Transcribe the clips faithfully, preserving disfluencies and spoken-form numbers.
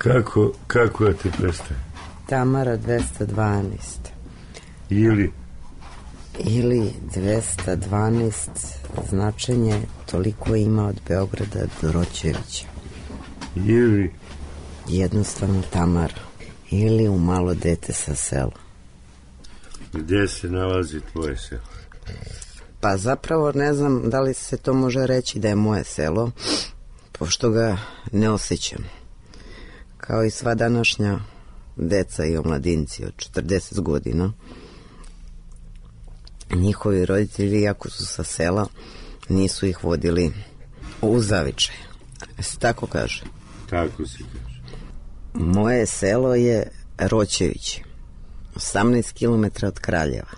Kako, kako da te prestaje? Tamara dvesta dvanaest. Ili? Ili dvesta dvanaest značenje toliko ima od Beograda do Roćevića. Ili? Jednostavno Tamara. Ili u malo dete sa sela. Gde se nalazi tvoje selo? Pa zapravo ne znam da li se to može reći da je moje selo, pošto ga ne osjećam. Kao i sva današnja deca i omladinci od četrdeset godina, njihovi roditelji, iako su sa sela, nisu ih vodili u zavičaj. Se tako kaže? Tako se kaže. Moje selo je Roćevići, osamnaest kilometara od Kraljeva.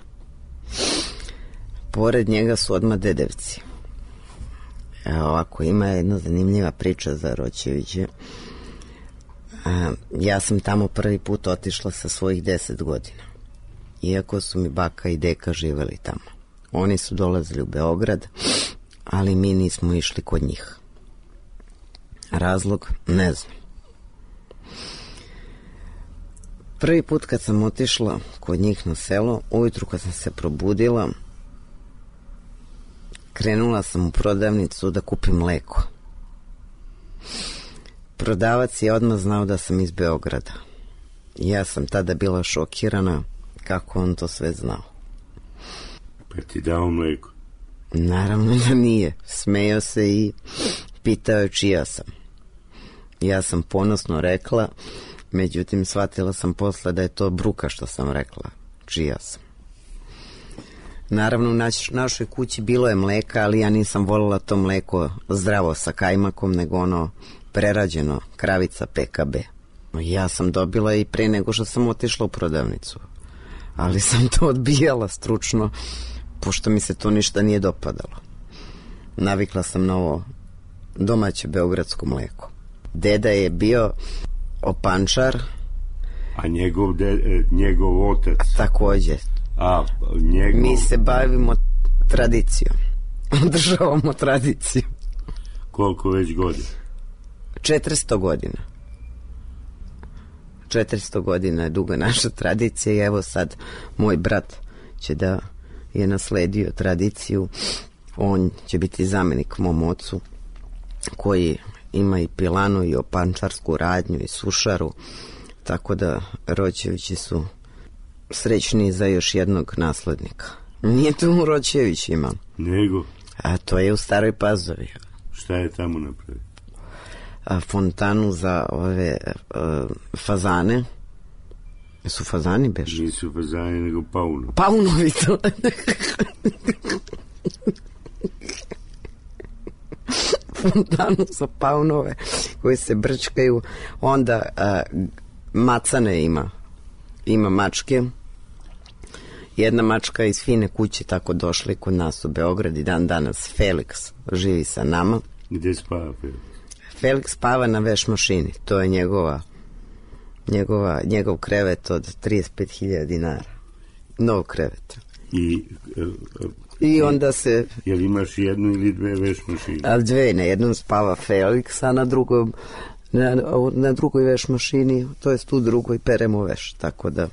Pored njega su odmah Dedevci. Evo ovako, ima jedna zanimljiva priča za Roćeviće. Ja sam tamo prvi put otišla sa svojih deset godina. Iako su mi baka i deka živeli tamo. Oni su dolazili u Beograd, ali mi nismo išli kod njih. Razlog? Ne znam. Prvi put kad sam otišla kod njih na selo, ujutru kad sam se probudila, krenula sam u prodavnicu da kupim mleko. Prodavac je odmah znao da sam iz Beograda. Ja sam tada bila šokirana kako on to sve znao. Pa ti dao mleko? Naravno da nije. Smejao se i pitao je čija sam. Ja sam ponosno rekla, međutim shvatila sam posle da je to bruka što sam rekla, čija sam. Naravno u naš, našoj kući bilo je mleka, ali ja nisam voljela to mleko zdravo sa kajmakom, nego ono prerađeno, kravica P K B. Ja sam dobila i pre nego što sam otišla u prodavnicu, ali sam to odbijala stručno, pošto mi se to ništa nije dopadalo. Navikla sam na ovo domaće beogradsko mleko. Deda je bio opančar. A njegov, de, njegov otac? Takođe. A njegov... Mi se bavimo tradicijom. Održavamo tradiciju. Koliko već godina? četiristo godina. četiristo godina je duga naša tradicija i evo sad moj brat će da je nasledio tradiciju. On će biti zamenik mom ocu koji ima i pilanu i opančarsku radnju i sušaru, tako da Roćevići su srećni za još jednog naslednika. Nije to u Roćevićima. Nego? A to je u Staroj Pazovi. Šta je tamo napravio? A, fontanu za ove a, fazane. Su fazani beš? Nisu fazani, nego paunovi. Paunovi to. Fontanu za paunove koji se brčkaju. Onda a, macane ima. Ima mačke. Jedna mačka iz fine kuće tako došla kod nas u Beograd i dan danas Felix živi sa nama. Gde spava Felix? Felix spava na veš mašini. To je njegova, njegova njegov krevet od trideset pet hiljada dinara. Nov krevet. I, I onda se... Jel imaš jednu ili dve veš mašine? A dve, na jednom spava Felix, a na drugom na, na drugoj veš mašini, to jest tu drugoj peremo veš, tako da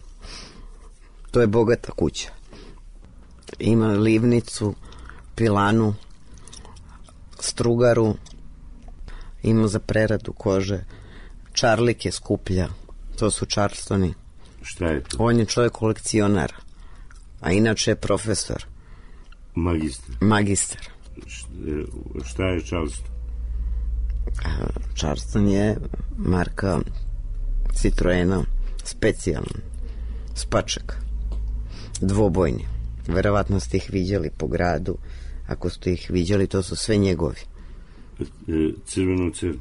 to je bogata kuća. Ima livnicu, pilanu, strugaru, ima za preradu kože, čarlike skuplja, to su Charlestoni. Šta je to? On je čovjek kolekcionar, a inače je profesor. Magistar. Magistar. Šta je Charleston? Charleston je marka Citroena, specijalna, spačak, dvobojni. Verovatno ste ih viđali po gradu. Ako ste ih viđali, to su sve njegovi. Crveno crni?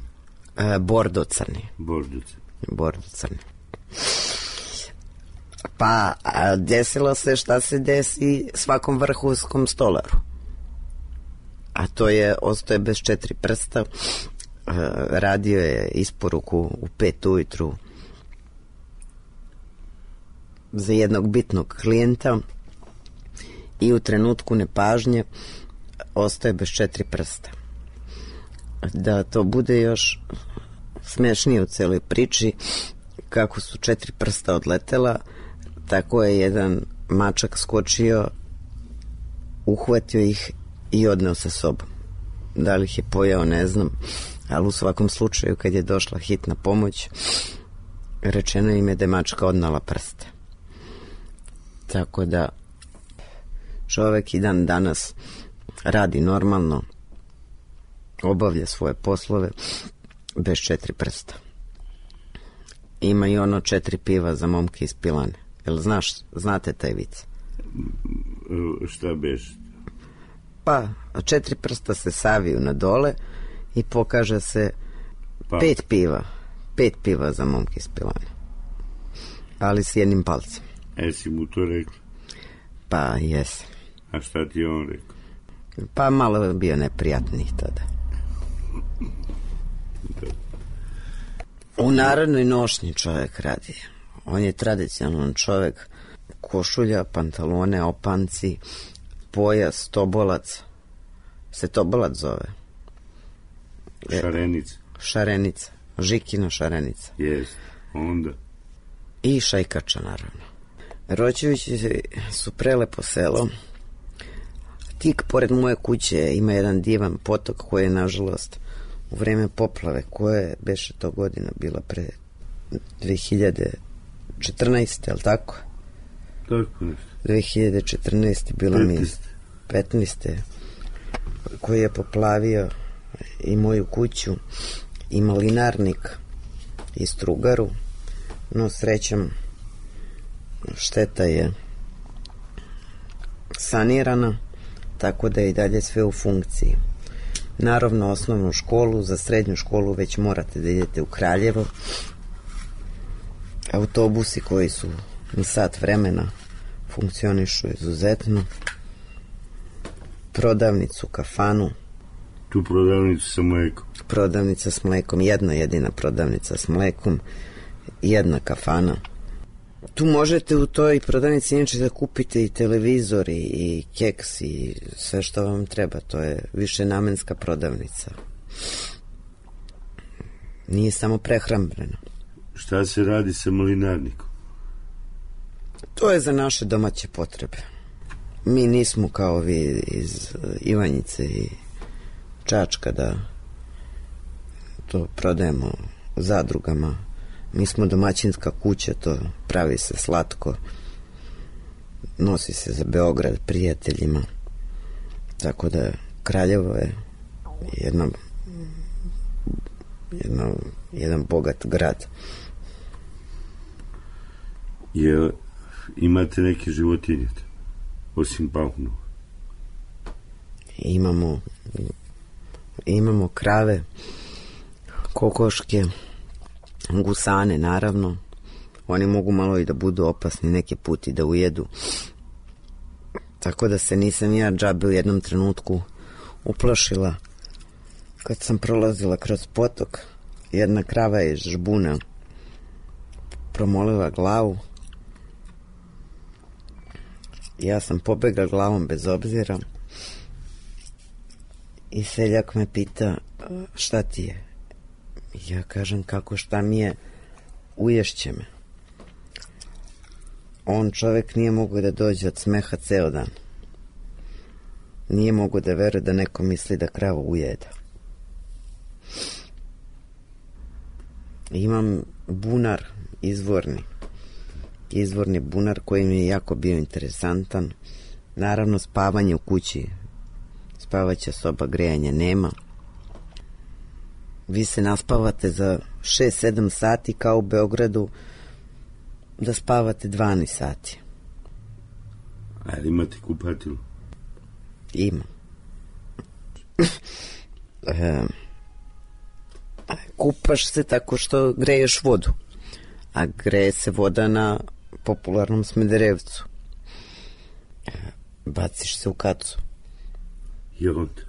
Bordo crni. Bordo crni. Bordo crni. Pa desilo se šta se desi svakom vrhunskom stolaru. A to je, ostaje bez četiri prsta, radio je isporuku u pet ujutru za jednog bitnog klijenta i u trenutku nepažnje ostaje bez četiri prsta. Da to bude još najsmešnije u celoj priči, kako su četiri prsta odletela, tako je jedan mačak skočio, uhvatio ih i odneo sa sobom. Da li ih je pojeo, ne znam, ali u svakom slučaju kad je došla hitna pomoć, rečeno im je da je mačka odnala prste. Tako da čovek i dan danas radi normalno, obavlja svoje poslove bez četiri prsta. Ima i ono četiri piva za momke iz pilane. Jel znaš, znate taj vic? Šta beš? Pa, četiri prsta se saviju na dole i pokaže se pa. pet piva. Pet piva za momke iz pilane. Ali s jednim palcem. E, si mu to rekla? Pa, jesam. A šta ti je on rekao? Pa, malo je bio neprijatnih tada. U narodnoj nošnji čovjek radi. On je tradicionalan čovjek. Košulja, pantalone, opanci, pojas, tobolac. Se tobolac zove? Šarenica. Šarenica. Žikina šarenica. Jest, onda. I šajkača, naravno. Roćevići su prelepo selo. Tik pored moje kuće ima jedan divan potok koji je, nažalost, u vreme poplave, koje beše to godina bila pre dve hiljade četrnaeste, je li tako? Tako nešto. dve hiljade četrnaeste bila mi petnaeste koji je poplavio i moju kuću i malinarnik i strugaru, no srećom šteta je sanirana, tako da je i dalje sve u funkciji. Naravno, osnovnu školu, za srednju školu već morate da idete u Kraljevo. Autobusi koji su na sat vremena funkcionišu izuzetno. Prodavnicu, kafanu. Tu prodavnicu sa mlekom. Prodavnica s mlekom, jedna jedina prodavnica s mlekom, jedna kafana. Tu možete u toj prodavnici inače da kupite i televizor i, i keks i sve što vam treba. To je višenamenska prodavnica. Nije samo prehrambena. Šta se radi sa malinarnikom? To je za naše domaće potrebe. Mi nismo kao vi iz Ivanjice i Čačka da to prodajemo zadrugama. Mi smo domaćinska kuća, to pravi se slatko, nosi se za Beograd prijateljima, tako da Kraljevo je jedna, jedna, jedan bogat grad. Je, imate neke životinje osim paunova? Imamo imamo krave, kokoške, gusane, naravno. Oni mogu malo i da budu opasni neki put i da ujedu. Tako da se nisam ja džabe u jednom trenutku uplašila. Kad sam prolazila kroz potok, jedna krava je iz žbuna promolila glavu. Ja sam pobegla glavom bez obzira i seljak me pita šta ti je. Ja kažem kako šta mi je, uješće me. On čovek nije mogao da dođe od smeha ceo dan. Nije mogao da veruje da neko misli da kravu ujeda. Imam bunar izvorni. Izvorni bunar koji mi je jako bio interesantan. Naravno spavanje u kući. Spavaća soba, grejanja nema. Vi se naspavate za šest sedam sati kao u Beogradu da spavate dvanaest sati. A li imate kupatilu? Ima. e, kupaš se tako što greješ vodu. A greje se voda na popularnom Smederevcu. E, baciš se u kacu. I onda?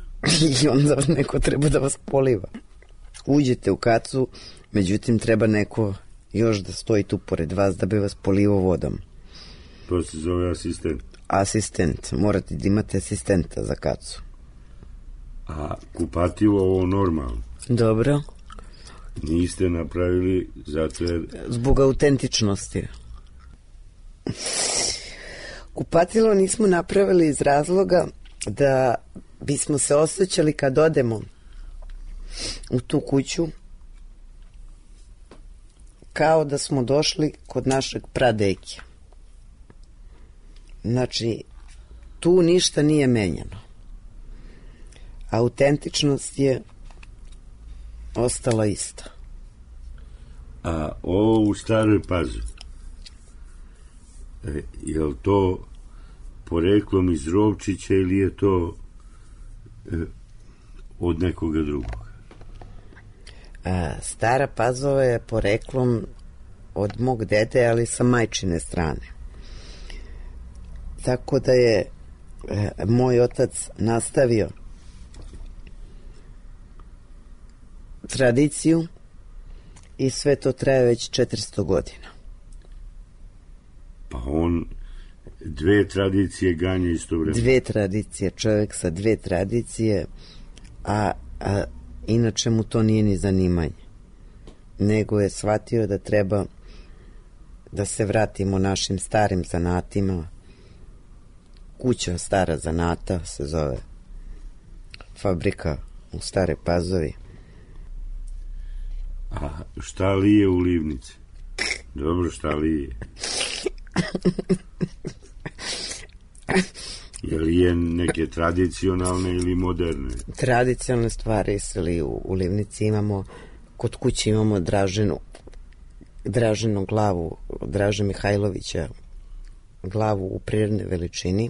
I onda neko treba da vas poliva. Uđete u kacu, međutim treba neko još da stoji tu pored vas da bi vas polivao vodom. To se zove asistent. Asistent, morate da imate asistenta za kacu. A kupativo ovo normalno? Dobro. Niste napravili zato jer... Zbog autentičnosti. Kupatilo nismo napravili iz razloga da bismo se osjećali kad odemo u tu kuću kao da smo došli kod našeg pradeke. Znači, tu ništa nije menjano. Autentičnost je ostala ista. A ovo u Staroj Pazovi, e, je li to poreklom iz Rovčića ili je to e, od nekoga drugog? A, Stara Pazova je poreklom od mog dede, ali sa majčine strane. Tako da je e, moj otac nastavio tradiciju i sve to traje već četiristo godina. Pa on dve tradicije ganja istovremeno. Dve tradicije, čovjek sa dve tradicije, a, a inače mu to nije ni zanimanje. Nego je shvatio da treba da se vratimo našim starim zanatima. Kuća Stara zanata se zove, fabrika u Stare Pazovi. A šta li je u livnici? Dobro, šta li je? Je li je neke tradicionalne ili moderne? Tradicionalne stvari se li u, u livnici imamo, kod kuće imamo Draženu, Draženu glavu, Draže Mihajlovića, glavu u prirodnoj veličini.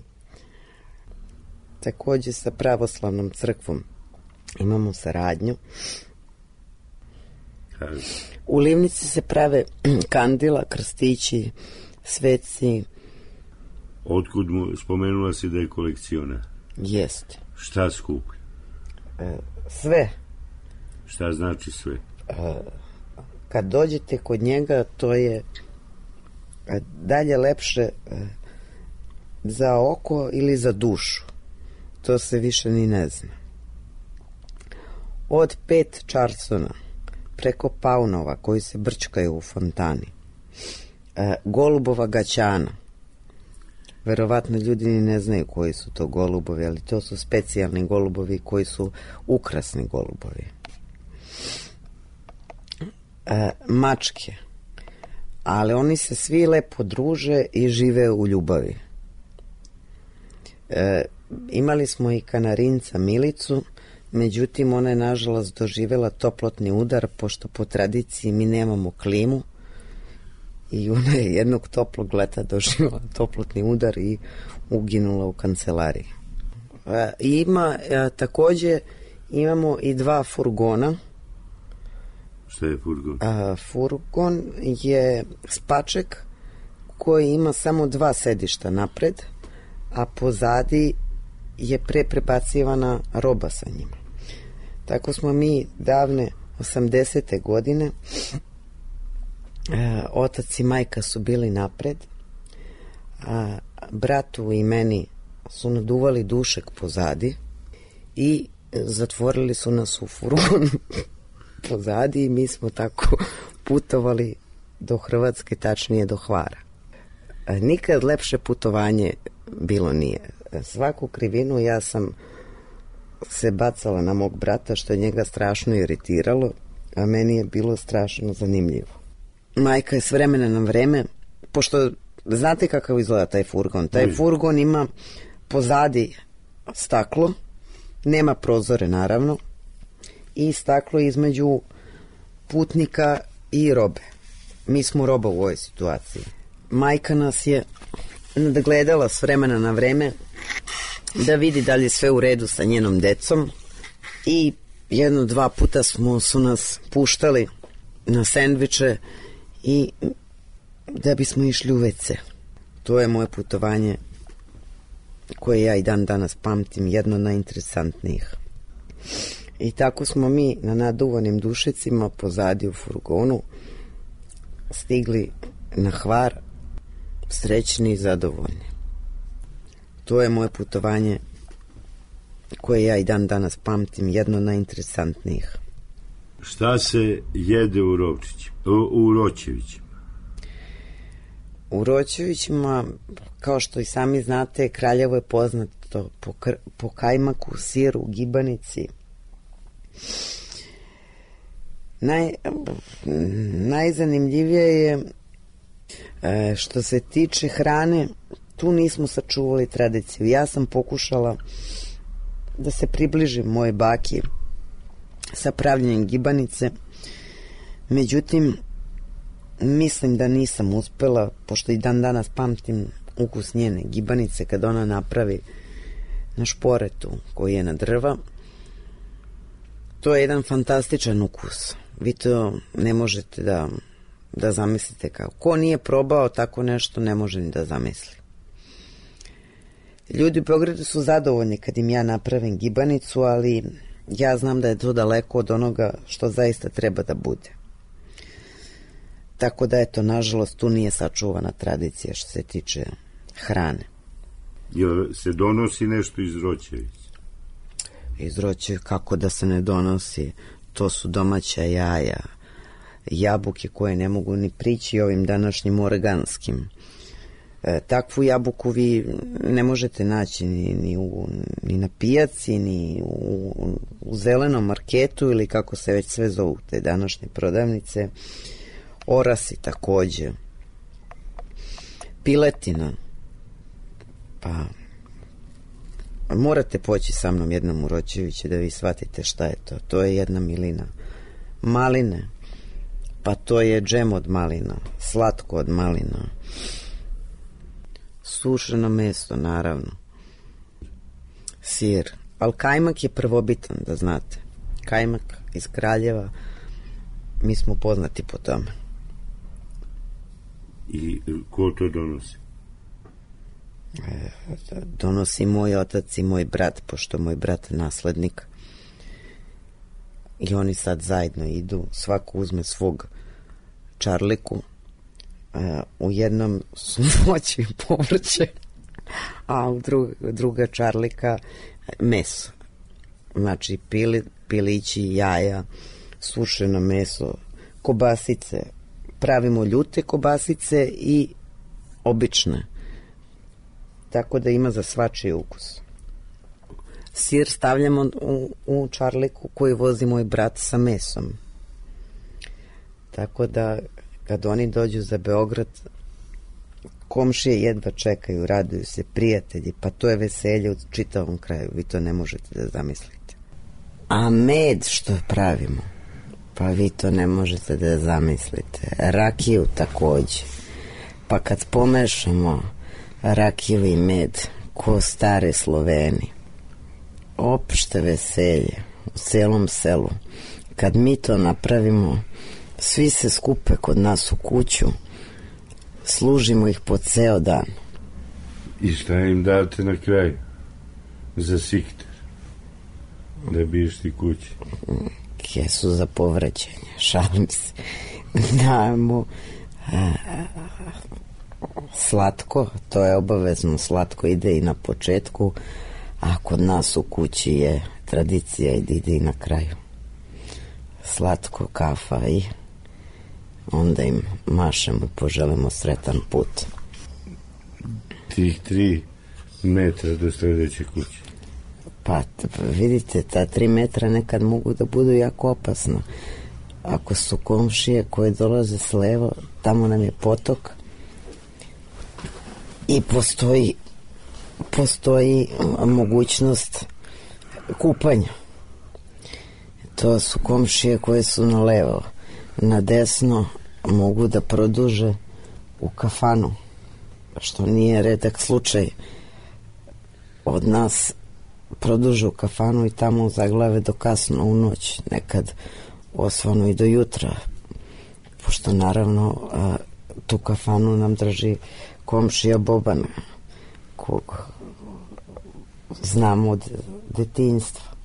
Takođe sa pravoslavnom crkvom imamo saradnju. U livnici se prave kandila, krstići, sveci. Otkud mu spomenula si da je kolekciona? Jeste. Šta skuplja? E, sve. Šta znači sve? E, kad dođete kod njega, to je dalje lepše e, za oko ili za dušu. To se više ni ne zna. Od pet čarsona preko paunova koji se brčkaju u fontani, e, golubova gaćana. Verovatno ljudi ni ne znaju koji su to golubovi, ali to su specijalni golubovi koji su ukrasni golubovi. E, mačke, ali oni se svi lepo druže i žive u ljubavi. E, imali smo i kanarinca Milicu, međutim ona je nažalost doživjela toplotni udar, pošto po tradiciji mi nemamo klimu, i ona je jednog toplog leta doživjela toplotni udar i uginula u kancelariji. E, ima, e, takođe imamo i dva furgona. Šta je furgon? A, furgon je spaček koji ima samo dva sedišta napred, a pozadi je pre prebacivana roba sa njima. Tako smo mi davne osamdesete godine, e, otac i majka su bili napred, a bratu i meni su naduvali dušek pozadi i zatvorili su nas u furgon pozadi i mi smo tako putovali do Hrvatske, tačnije do Hvara. E, nikad lepše putovanje bilo nije. Svaku krivinu ja sam se bacala na mog brata, što je njega strašno iritiralo, a meni je bilo strašno zanimljivo. Majka je s vremena na vreme, pošto znate kakav izgleda taj furgon. Taj furgon ima pozadi staklo, nema prozore naravno, i staklo između putnika i robe. Mi smo roba u ovoj situaciji. Majka nas je nadgledala s vremena na vreme da vidi da li je sve u redu sa njenom decom, i jedno dva puta smo, su nas puštali na sendviče i da bismo išli u ve ce. To je moje putovanje koje ja i dan danas pamtim, jedno najinteresantnijih. I tako smo mi na naduvanim dušecima pozadi u furgonu stigli na Hvar, srećni i zadovoljni. To je moje putovanje koje ja i dan danas pamtim, jedno najinteresantnijih. Šta se jede u Rovčićima, u Roćevićima? U Roćevićima, kao što i sami znate, Kraljevo je poznato po, kr- po kajmaku, siru, gibanici. Naj, najzanimljivije je e, što se tiče hrane, tu nismo sačuvali tradiciju. Ja sam pokušala da se približim moje baki sa pravljenjem gibanice, međutim mislim da nisam uspela, pošto i dan danas pamtim ukus njene gibanice kad ona napravi na šporetu koji je na drva. To je jedan fantastičan ukus. Vi to ne možete da, da zamislite kao. Ko nije probao tako nešto ne može ni da zamisli. Ljudi u Beogradu su zadovoljni kad im ja napravim gibanicu, ali ja znam da je to daleko od onoga što zaista treba da bude. Tako da, eto, nažalost, tu nije sačuvana tradicija što se tiče hrane. Jel se donosi nešto iz Roćevića? Iz Roćevića, kako da se ne donosi? To su domaća jaja, jabuke koje ne mogu ni prići ovim današnjim organskim. E, takvu jabuku vi ne možete naći ni, ni, u, ni na pijaci, ni u, u zelenom marketu ili kako se već sve zovu te današnje prodavnice. Orasi takođe. Piletina. Pa morate poći sa mnom jednom u Roćeviće da vi shvatite šta je to. To je jedna milina. Maline. Pa to je džem od malina. Slatko od malina. Sušeno meso, naravno. Sir. Ali kajmak je prvobitan, da znate. Kajmak iz Kraljeva, mi smo poznati po tome. I ko to donosi? E, donosi moj otac i moj brat, pošto moj brat je naslednik. I oni sad zajedno idu, svako uzme svog čarliku. E, u jednom su voće i povrće, a u drug, druga čarlika meso. Znači pili, pilići, jaja, sušeno meso, kobasice. Pravimo ljute kobasice i obične. Tako da ima za svačiji ukus. Sir stavljamo u, u čarliku koji vozi moj brat sa mesom. Tako da kad oni dođu za Beograd, komšije jedva čekaju, raduju se, prijatelji, pa to je veselje u čitavom kraju, vi to ne možete da zamislite. A med što pravimo, pa vi to ne možete da zamislite. Rakiju takođe. Pa kad pomešamo rakiju i med, ko stare Sloveni, opšte veselje u celom selu. Kad mi to napravimo, svi se skupe kod nas u kuću, služimo ih po ceo dan. I šta im date na kraju? Za sikter? Da bi išli kući? Kesu za povraćanje, šalim se. Dajemo a, slatko, to je obavezno, slatko ide i na početku, a kod nas u kući je tradicija i ide i na kraju. Slatko, kafa i onda im mašemo i poželimo sretan put. Tih tri metra do sledeće kuće. Pa vidite, ta tri metra nekad mogu da budu jako opasna. Ako su komšije koje dolaze s levo, tamo nam je potok i postoji postoji mogućnost kupanja. To su komšije koje su na levo. Na desno mogu da produže u kafanu, što nije redak slučaj. Od nas produže u kafanu i tamo zaglave do kasno u noć, nekad osvanu i do jutra, pošto naravno a, tu kafanu nam drži komšija Boban, kog znamo od detinjstva.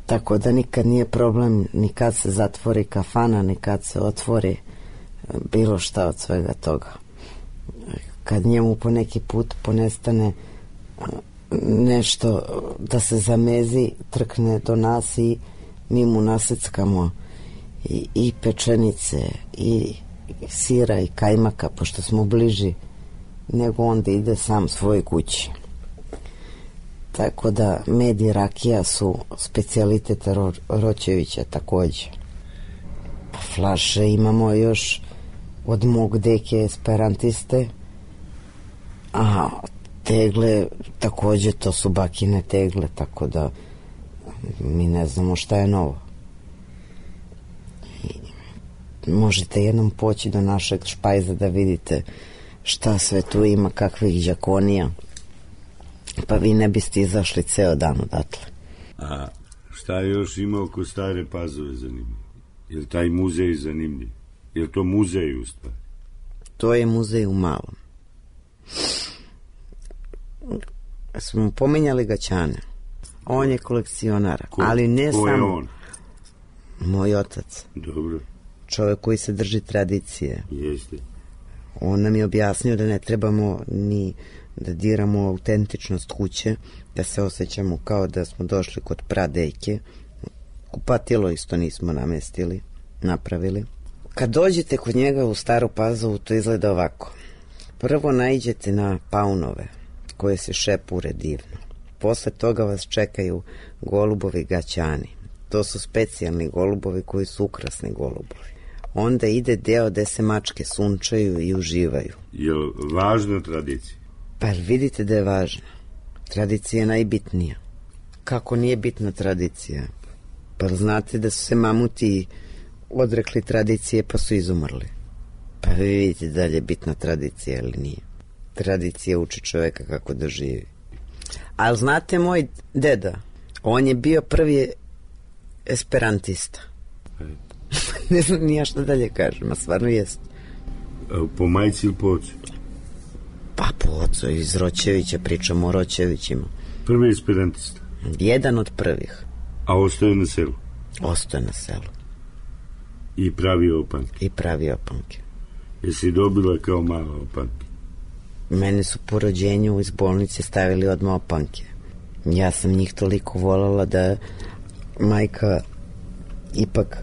Tako da nikad nije problem ni kad se zatvori kafana, ni kad se otvori bilo šta od svega toga. Kad njemu po neki put ponestane nešto da se zamezi, trkne do nas i mi mu naseckamo i, i pečenice i sira i kajmaka, pošto smo bliži nego onda ide sam svoje kući. Tako da med i rakija su specijaliteta Ro, Roćevića takođe. Pa flaše imamo još od mog deke esperantiste, a tegle takođe, to su bakine tegle, tako da mi ne znamo šta je novo. I možete jednom poći do našeg špajza da vidite šta sve tu ima, kakvih đakonija, pa vi ne biste izašli ceo dan odatle. A šta još ima oko Stare Pazove zanimljivo? Je li taj muzej zanimljiv? Je li to muzej u stvari? To je muzej u malom. Smo pominjali Gaćane. On je kolekcionar, ko, ali ne ko samo... je on? Moj otac. Dobro. Čovjek koji se drži tradicije. Jeste. On nam je objasnio da ne trebamo ni da diramo autentičnost kuće, da se osjećamo kao da smo došli kod pradejke. Kupatilo isto nismo namestili, napravili. Kad dođete kod njega u Staru Pazovu, to izgleda ovako. Prvo naiđete na paunove, koje se šepure divno. Posle toga vas čekaju golubovi Gaćani. To su specijalni golubovi koji su ukrasni golubovi. Onda ide deo gde se mačke sunčaju i uživaju. Je li važna tradicija? Pa vidite da je važna. Tradicija je najbitnija. Kako nije bitna tradicija? Pa znate da su se mamuti odrekli tradicije pa su izumrli. Pa vi vidite da li je bitna tradicija ili nije. Tradicija uči čoveka kako da živi. Ali znate, moj deda, on je bio prvi esperantista. Ne znam nija šta dalje kažem, a stvarno jest. Po majci ili po ocu? Pa po ocu, iz Roćevića, pričamo o Roćevićima. Prvi esperantista? Jedan od prvih. A ostaje na selu? Ostaje na selu. I pravi opanke? I pravi opanke. Jesi dobila kao mala opanke? Mene su po rođenju iz bolnice stavili odmah opanke. Ja sam njih toliko voljela da majka ipak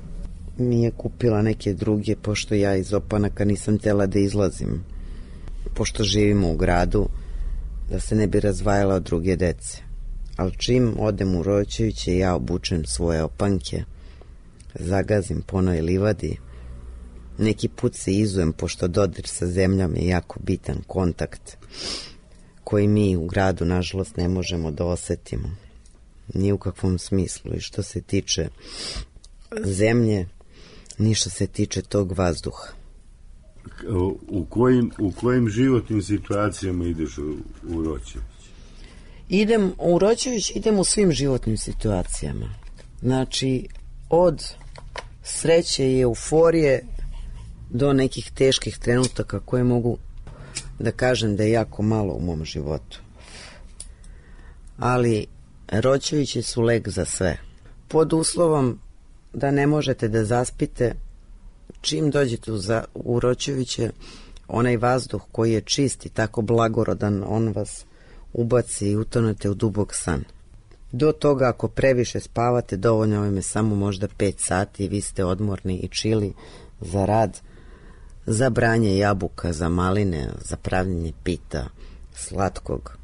mi je kupila neke druge, pošto ja iz opanaka nisam htjela da izlazim. Pošto živimo u gradu, da se ne bi razvajala od druge dece. Ali čim odem u Roćeviće, ja obučem svoje opanke, zagazim po onoj livadi, neki put se izujem, pošto dodir sa zemljom je jako bitan kontakt koji mi u gradu nažalost ne možemo da osetimo ni u kakvom smislu, i što se tiče zemlje ni što se tiče tog vazduha. U kojim, u kojim životnim situacijama ideš u, u Roćević? Idem u Roćević, idem u svim životnim situacijama. Znači, od sreće i euforije do nekih teških trenutaka koje mogu da kažem da je jako malo u mom životu. Ali Roćevići su lek za sve. Pod uslovom da ne možete da zaspite, čim dođete u, za, u Roćeviće, onaj vazduh koji je čist i tako blagorodan, on vas ubaci i utonete u dubok san. Do toga, ako previše spavate, dovoljno vam je samo možda pet sati i vi ste odmorni i čili za rad, za branje jabuka, za maline, za pravljenje pita, slatkog.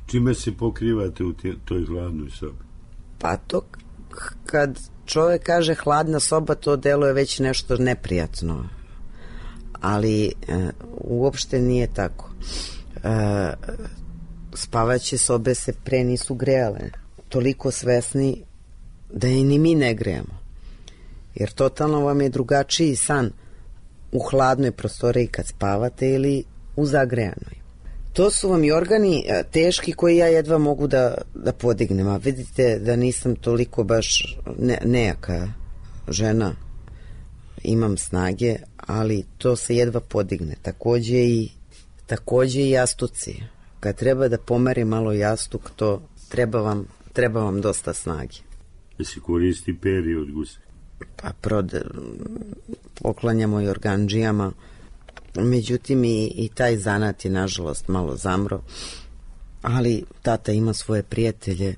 Čime se pokrivate u tje, toj hladnoj sobi? Pa to, kad čovjek kaže hladna soba, to deluje već nešto neprijatno. Ali e, uopšte nije tako. E, spavaće sobe se pre nisu grejale. Toliko svesni da i ni mi ne grejemo. Jer totalno vam je drugačiji san u hladnoj prostoriji kad spavate ili u zagrejanoj. To su vam i organi teški koji ja jedva mogu da, da podignem. A vidite da nisam toliko baš ne, nejaka žena. Imam snage, ali to se jedva podigne. Takođe i, takođe i jastuci. Kad treba da pomeri malo jastuk, to treba vam, treba vam dosta snage. Da se koristi peri od guse? Pa prode, poklanjamo i organdžijama. Međutim, i, i taj zanat je nažalost malo zamro, ali tata ima svoje prijatelje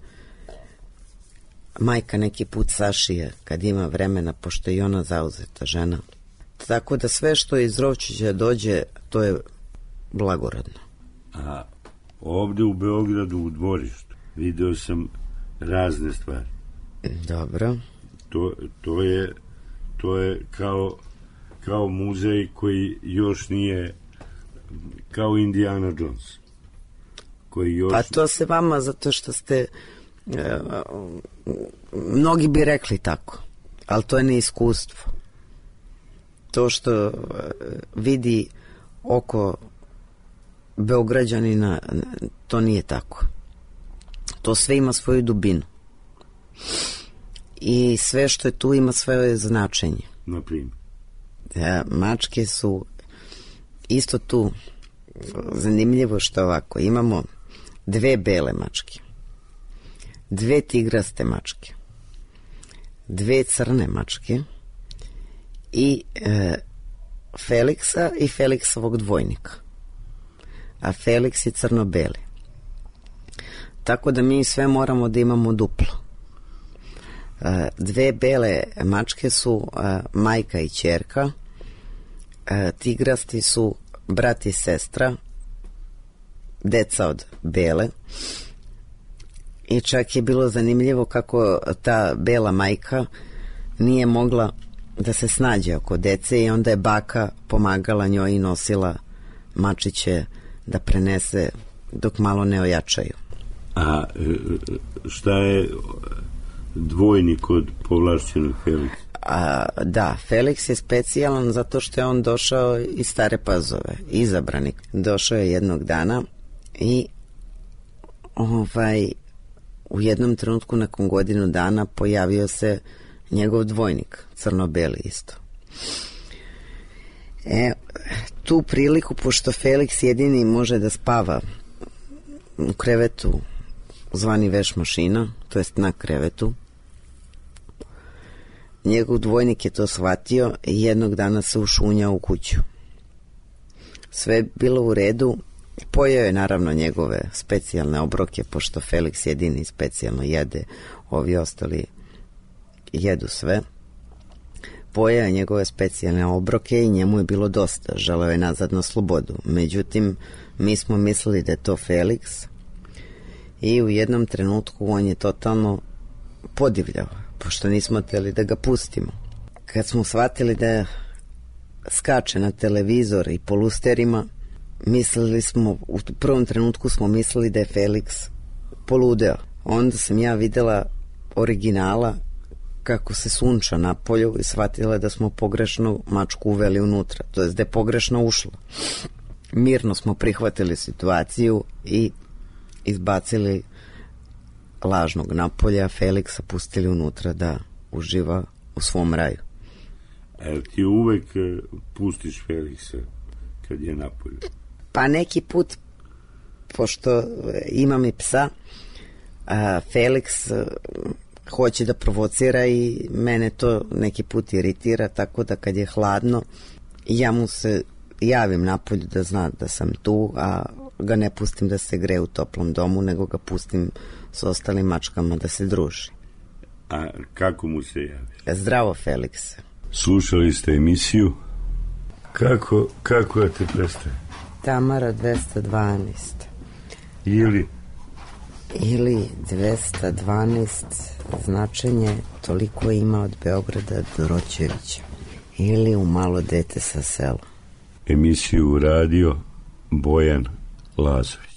majka neki put sašije kad ima vremena, pošto je i ona zauzeta žena. Tako da sve što iz Rovčića dođe, to je blagorodno. A ovde u Beogradu u dvorištu video sam razne stvari. Dobro. To, to je to je kao kao muzej koji još nije, kao Indiana Jones. Koji još... Pa to se vama, zato što ste e, mnogi bi rekli tako, ali to je neiskustvo. To što e, vidi oko Beograđanina, to nije tako. To sve ima svoju dubinu. I sve što je tu ima svoje značenje. Naprimjer? Da, mačke su isto tu zanimljivo što ovako. Imamo dve bele mačke, dve tigraste mačke, dve crne mačke i e, Feliksa i Feliksovog dvojnika. A Feliks je crno-beli. Tako da mi sve moramo da imamo duplo. E, dve bele mačke su e, majka i ćerka, e, tigrasti su brat i sestra, deca od bele. I čak je bilo zanimljivo kako ta bela majka nije mogla da se snađe oko dece i onda je baka pomagala njoj i nosila mačiće da prenese dok malo ne ojačaju. A šta je dvojnik od povlašćenog Feliksa? A, da, Feliks je specijalan zato što je on došao iz Stare Pazove, izabranik. Došao je jednog dana i ovaj, u jednom trenutku nakon godinu dana pojavio se njegov dvojnik, crno-beli isto. E, tu priliku, pošto Feliks jedini može da spava u krevetu zvani veš mašina, to jest na krevetu, njegov dvojnik je to shvatio i jednog dana se ušunjao u kuću. Sve je bilo u redu, pojeo je naravno njegove specijalne obroke, pošto Feliks jedini specijalno jede, ovi ostali jedu sve. Pojeo je njegove specijalne obroke i njemu je bilo dosta, želeo je nazad na slobodu. Međutim, mi smo mislili da je to Feliks i u jednom trenutku on je totalno podivljao, pošto nismo htjeli da ga pustimo. Kad smo shvatili da skače na televizor i po lusterima, mislili smo, u prvom trenutku smo mislili da je Feliks poludeo. Onda sam ja videla originala kako se sunča na polju i shvatila da smo pogrešno mačku uveli unutra, to jest da je pogrešno ušla. Mirno smo prihvatili situaciju i izbacili lažnog napolja, Feliksa pustili unutra da uživa u svom raju. A ti uvek pustiš Feliksa kad je napolju? Pa neki put, pošto imam i psa, a, Feliks a, hoće da provocira i mene to neki put iritira, tako da kad je hladno ja mu se javim napolju da zna da sam tu, a ga ne pustim da se greje u toplom domu, nego ga pustim s ostalim mačkama da se druži. A kako mu se javiš? Zdravo, Felikse. Slušali ste emisiju Kako, kako da te prestaje? Tamara dvesta dvanaest. Ili? Ili dvesta dvanaest značenje toliko ima od Beograda do Roćevića. Ili u malo dete sa sela. Emisiju radio Bojan Lazović.